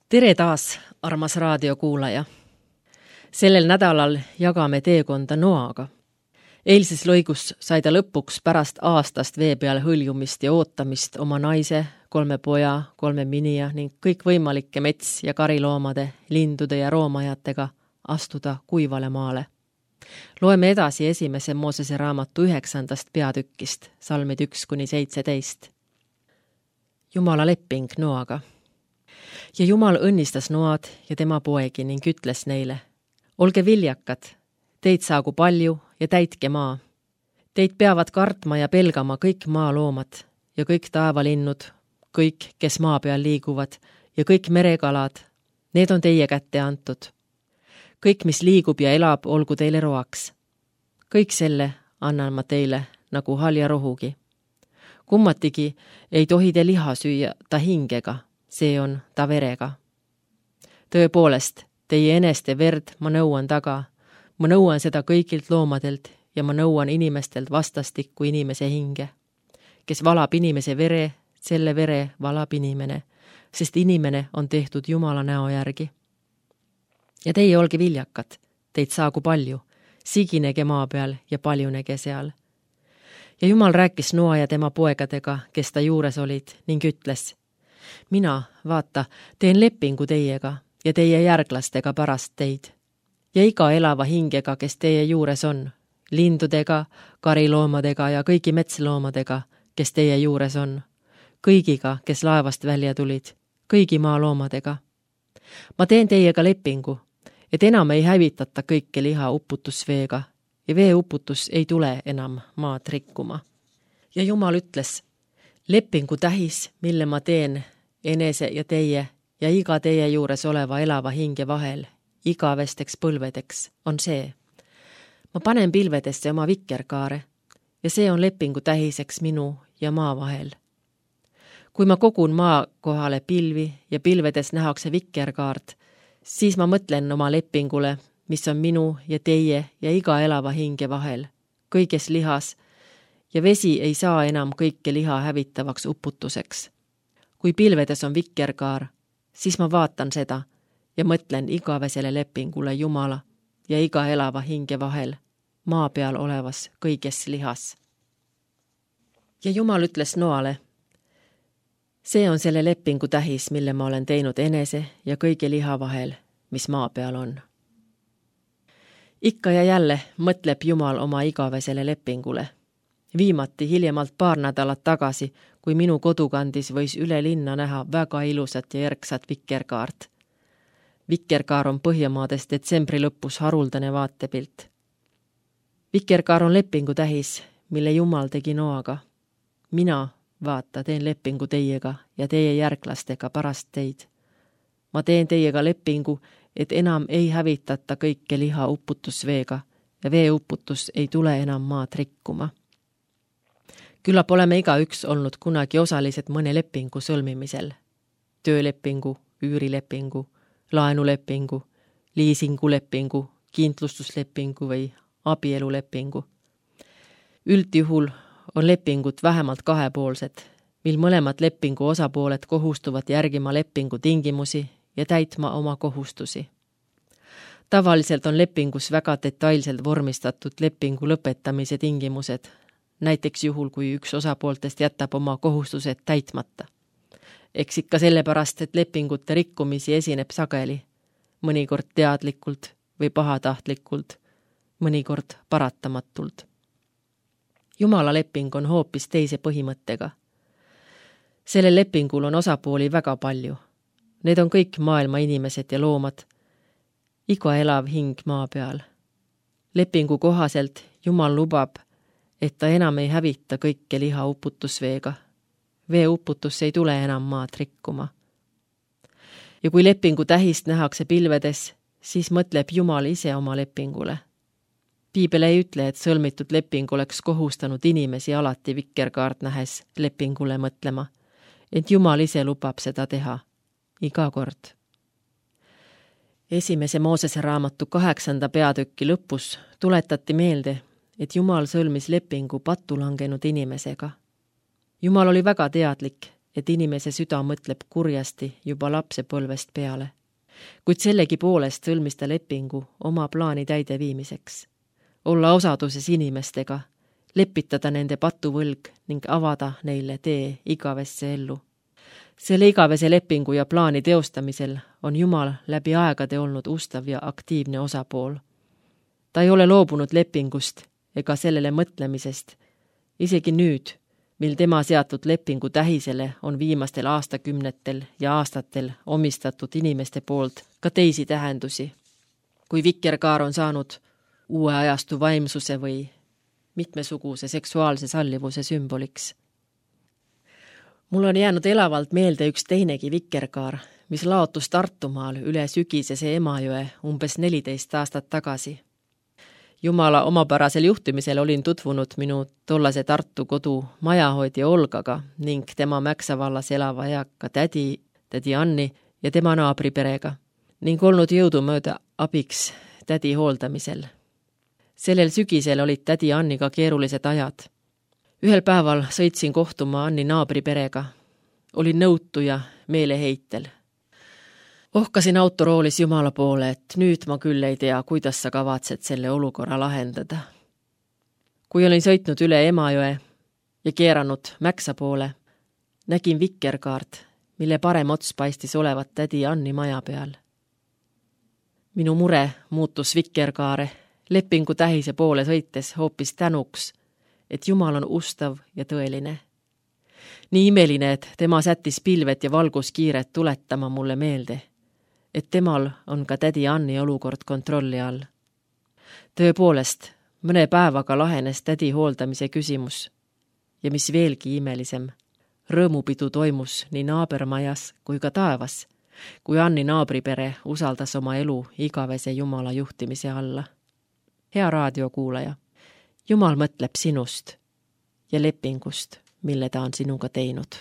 Tere taas, armas raadiokuulaja. Sellel nädalal jagame teekonda Noaga. Eilses lõigus sai ta lõpuks pärast aastast vee peal hõljumist ja ootamist oma naise, 3 poja, 3 minija ning kõikvõimalike mets- ja kariloomade, lindude ja roomajatega astuda kuivale maale. Loeme edasi 1. Moosese raamatu 9. peatükkist, salmid 1-17. Jumala leping Noaga. Ja Jumal õnnistas Noad ja tema poegi ning ütles neile: olge viljakad, teid saagu palju ja täitke maa. Teid peavad kartma ja pelgama kõik maaloomad ja kõik taevalinnud, kõik, kes maa peal liiguvad ja kõik merekalad, need on teie kätte antud. Kõik, mis liigub ja elab, olgu teile roaks. Kõik selle annan ma teile nagu halja rohugi. Kummatigi ei tohi te liha süüa ta hingega, see on ta verega. Tõepoolest, teie eneste verd ma nõuan taga. Ma nõuan seda kõigilt loomadelt ja ma nõuan inimestelt vastastikku inimese hinge. Kes valab inimese vere, selle vere valab inimene, sest inimene on tehtud Jumala näo järgi. Ja teie olge viljakad, teid saagu palju, siginege maa peal ja paljunege seal. Ja Jumal rääkis Noa ja tema poegadega, kes ta juures olid, ning ütles: mina, vaata, teen lepingu teiega ja teie järglastega pärast teid. Ja iga elava hingega, kes teie juures on, lindudega, kariloomadega ja kõigi metsloomadega, kes teie juures on, kõigiga, kes laevast välja tulid, kõigi maaloomadega. Ma teen teiega lepingu, et enam ei hävitata kõike liha uputusveega ja veeuputus ei tule enam maad rikkuma. Ja Jumal ütles: lepingu tähis, mille ma teen enese ja teie ja iga teie juures oleva elava hinge vahel, igavesteks põlvedeks, on see. Ma panen pilvedesse oma vikerkaare ja see on lepingu tähiseks minu ja maa vahel. Kui ma kogun maa kohale pilvi ja pilvedes nähakse vikerkaart, siis ma mõtlen oma lepingule, mis on minu ja teie ja iga elava hinge vahel, kõiges lihas, ja vesi ei saa enam kõike liha hävitavaks uputuseks. Kui pilvedes on vikerkaar, siis ma vaatan seda ja mõtlen igavesele lepingule Jumala ja iga elava hinge vahel, maa peal olevas kõiges lihas. Ja Jumal ütles Noale: see on selle lepingu tähis, mille ma olen teinud enese ja kõige liha vahel, mis maa peal on. Ikka ja jälle mõtleb Jumal oma igavesele lepingule. Viimati hiljemalt 2 nädalat tagasi, kui minu kodukandis võis üle linna näha väga ilusat ja järgsat vikerkaart. Vikerkaar on Põhjamaades detsembri lõpus haruldane vaatepilt. Vikerkaar on lepingu tähis, mille Jumal tegi Noaga. Mina, vaata, teen lepingu teiega ja teie järglastega pärast teid. Ma teen teiega lepingu, et enam ei hävitata kõike liha uputusveega ja veeuputus ei tule enam maad rikkuma. Küllap oleme igaüks olnud kunagi osalised mõne lepingu sõlmimisel. Töölepingu, üürilepingu, laenulepingu, liisingulepingu, kindlustuslepingu või abielulepingu. Üldjuhul on lepingud vähemalt 2-poolsed, mil mõlemad lepingu osapooled kohustuvad järgima lepingu tingimusi ja täitma oma kohustusi. Tavaliselt on lepingus väga detailselt vormistatud lepingu lõpetamise tingimused, näiteks juhul, kui üks osapooltest jätab oma kohustused täitmata. Eks ikka sellepärast, et lepingute rikkumisi esineb sageli, mõnikord teadlikult või pahatahtlikult, mõnikord paratamatult. Jumala leping on hoopis teise põhimõttega. Sellel lepingul on osapooli väga palju. Need on kõik maailma inimesed ja loomad, iga elav hing maa peal. Lepingu kohaselt Jumal lubab, et ta enam ei hävita kõike liha uputusveega. Veeuputus ei tule enam maad rikkuma. Ja kui lepingu tähist nähakse pilvedes, siis mõtleb Jumal ise oma lepingule. Piibel ei ütle, et sõlmitud leping oleks kohustanud inimesi alati vikerkaart nähes lepingule mõtlema, et Jumal ise lubab seda teha, iga kord. 1. Moosese raamatu 8. peatüki lõpus tuletati meelde, et Jumal sõlmis lepingu pattu langenud inimesega. Jumal oli väga teadlik, et inimese süda mõtleb kurjasti juba lapsepõlvest peale. Kuid sellegipoolest sõlmis ta lepingu oma plaani täideviimiseks. Olla osaduses inimestega, lepitada nende patuvõlg ning avada neile tee igavesse ellu. Selle igavese lepingu ja plaani teostamisel on Jumal läbi aegade olnud ustav ja aktiivne osapool. Ta ei ole loobunud lepingust ega sellele mõtlemisest, isegi nüüd, mil tema seatud lepingu tähisele on viimastel aastakümnetel ja aastatel omistatud inimeste poolt ka teisi tähendusi. Kui vikerkaar on saanud uue ajastu vaimsuse või mitmesuguse seksuaalse sallivuse sümboliks. Mul on jäänud elavalt meelde üks teinegi vikerkaar, mis laotus Tartumaal üle sügisese Emajõe umbes 14 aastat tagasi. Jumala omapärasel juhtimisel olin tutvunud minu tollase Tartu kodu majahoidja Olgaga ning tema Mäksa vallas elava eaka tädi Anni ja tema naabriperega ning olnud jõudumööda abiks tädi hooldamisel. Sellel sügisel olid tädi Anniga keerulised ajad. Ühel päeval sõitsin kohtuma Anni naabriperega. Olin nõutu ja meeleheitel. Ohkasin autoroolis Jumala poole, et nüüd ma küll ei tea, kuidas sa kavatsed selle olukorra lahendada. Kui olin sõitnud üle Emajõe ja keeranud Mäksa poole, nägin vikerkaart, mille parem ots paistis olevat tädi Anni maja peal. Minu mure muutus vikerkaare lepingu tähise poole sõites hoopis tänuks, et Jumal on ustav ja tõeline. Nii imeline, et tema sättis pilvet ja valguskiiret tuletama mulle meelde, et temal on ka tädi Anni olukord kontrolli all. Tõepoolest, mõne päevaga lahenes tädi hooldamise küsimus ja mis veelgi imelisem, rõõmupidu toimus nii naabermajas kui ka taevas, kui Anni naabripere usaldas oma elu igavese Jumala juhtimise alla. Hea raadiokuulaja, Jumal mõtleb sinust ja lepingust, mille ta on sinuga teinud.